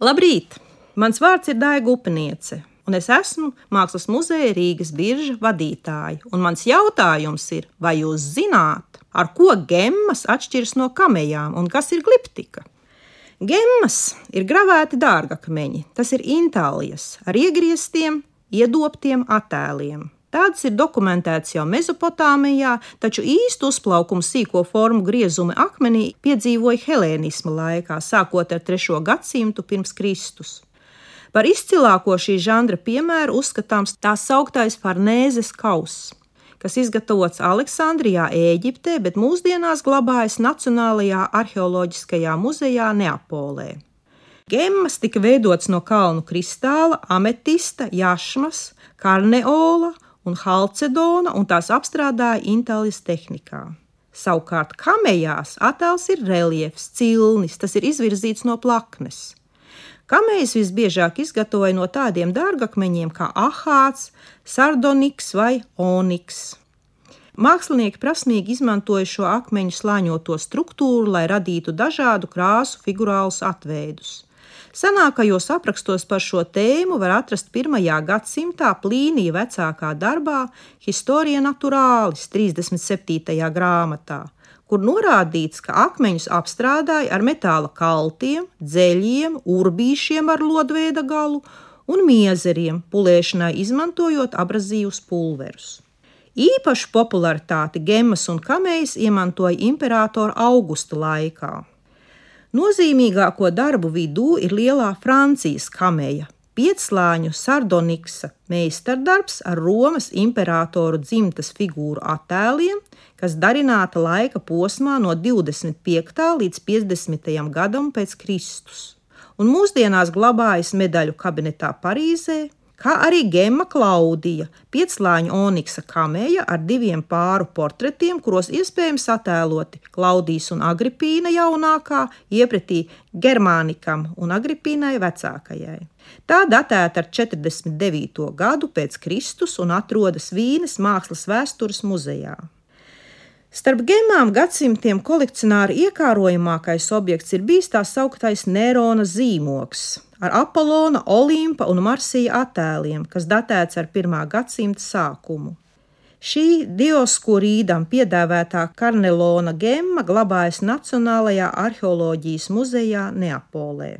Labrīt! Mans vārds ir Daiga Upiniece, un es esmu Mākslas muzeja Rīgas birža vadītāja. Un mans jautājums ir, vai jūs zināt, ar ko gemmas atšķiras no kamejām un kas ir gliptika? Gemmas ir gravēti dārgakmeņi, tas ir intālijas ar iegrieztiem, iedobtiem attēliem. Tāds ir dokumentēts jau Mezopotāmijā, taču īstu uzplaukumu sīko formu griezumi akmenī piedzīvoja helēnisma laikā, sākot ar 3. gadsimtu pirms Kristus. Par izcilāko šī žanra piemēru uzskatāms tā sauktais Farnēzes kauss, kas izgatavots Aleksandrijā, Ēģiptē, bet mūsdienās glabājas Nacionālajā arheoloģiskajā muzejā Neapolē. Gemmas tika veidotas no kalnu kristāla, ametista, jašmas, karneola un halcedona, un tās apstrādāja intālijas tehnikā. Savukārt kamejās attēls ir reljefs, cilnis, tas ir izvirzīts no plaknes. Kamejas visbiežāk izgatavoja no tādiem dārgakmeņiem kā ahāts, sardoniks vai oniks. Mākslinieki prasmīgi izmantoja šo akmeņu slāņoto struktūru, lai radītu dažādu krāsu figurālus atveidus. Senākajos aprakstos par šo tēmu var atrast 1. gadsimtā Plīnija vecākā darbā Historia Naturalis 37. grāmatā, kur norādīts, ka akmeņus apstrādāja ar metāla kaltiem, dzeļiem, urbīšiem ar lodveida galu un miezeriem, pulēšanai izmantojot abrazīvus pulverus. Īpašu popularitāti gemmas un kamejas iemantoja imperatora Augusta laikā. Nozīmīgāko darbu vidū ir lielā Francijas kameja, piecslāņu sardoniksa meistardarbs ar Romas imperatoru dzimtas figūru attēliem, kas darināta laika posmā no 25. līdz 50. gadam pēc Kristus. Un mūsdienās glabājas medaļu kabinetā Parīzē, kā arī Gemma Klaudija, piecslāņu oniksa kameja ar 2 pāru portretiem, kuros iespējams attēloti Klaudijas un Agripīna jaunākā, iepretī Germānikam un Agripīnai vecākajai. Tā datēta ar 49. gadu pēc Kristus un atrodas Vīnes Mākslas vēstures muzejā. Starp gemmām gadsimtiem kolekcionāra iekārojamākais objekts ir bijis tā sauktais Nerona zīmogs ar Apollona, Olimpa un Marsija attēliem, kas datēts ar 1. gadsimta sākumu. Šī Dioskurīdam piedāvātā Karnelona gemma glabājas Nacionālajā arheoloģijas muzejā Neapolē.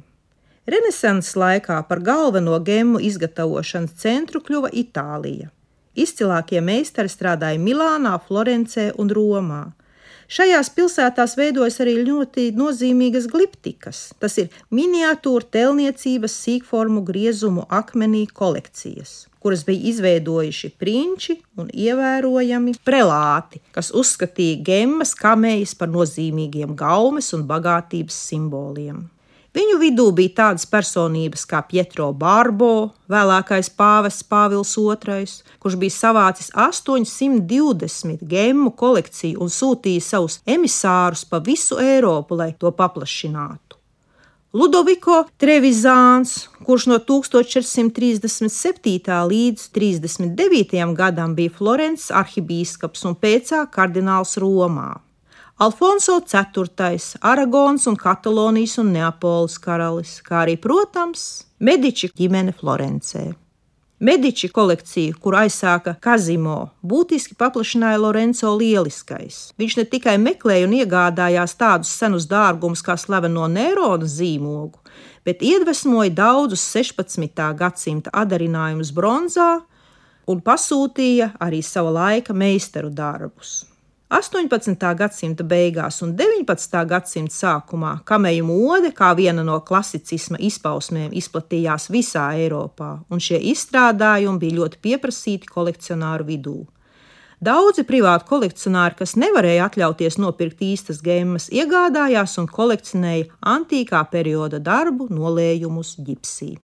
Renesanses laikā par galveno gemmu izgatavošanas centru kļuva Itālija. Izcilākie meistari strādāja Milānā, Florencē un Romā. Šajās pilsētās veidojas arī ļoti nozīmīgas gliptikas. Tas ir miniatūra telniecības sīkformu griezumu akmenī kolekcijas, kuras bija izveidojuši prinči un ievērojami prelāti, kas uzskatīja gemmas, kamejas par nozīmīgiem gaumes un bagātības simboliem. Viņu vidū bija tādas personības kā Pietro Barbo, vēlākais pāvests Pāvils II, kurš bija savācis 820 gemmu kolekciju un sūtīja savus emisārus pa visu Eiropu, lai to paplašinātu. Ludoviko Trevizāns, kurš no 1437. līdz 39. gadam bija Florences arhibīskaps un pēcāk kardināls Romā. Alfonso IV, Aragons un Katalonijas un Neapoles karalis, kā arī, protams, Mediči ģimene Florencē. Mediči kolekciju, kuru aizsāka Kazimo, būtiski paplašināja Lorenzo Lieliskais. Viņš ne tikai meklēja un iegādājās tādus senus dārgumus kā slaveno Nerona zīmogu, bet iedvesmoja daudzus 16. gadsimta adarinājumus bronzā un pasūtīja arī sava laika meistaru darbus. 18. gadsimta beigās un 19. gadsimta sākumā kameju mode kā viena no klasicisma izpausmēm izplatījās visā Eiropā, un šie izstrādājumi bija ļoti pieprasīti kolekcionāru vidū. Daudzi privāti kolekcionāri, kas nevarēja atļauties nopirkt īstas gemmas, iegādājās un kolekcionēja antīkā perioda darbu nolējumus ģipsī.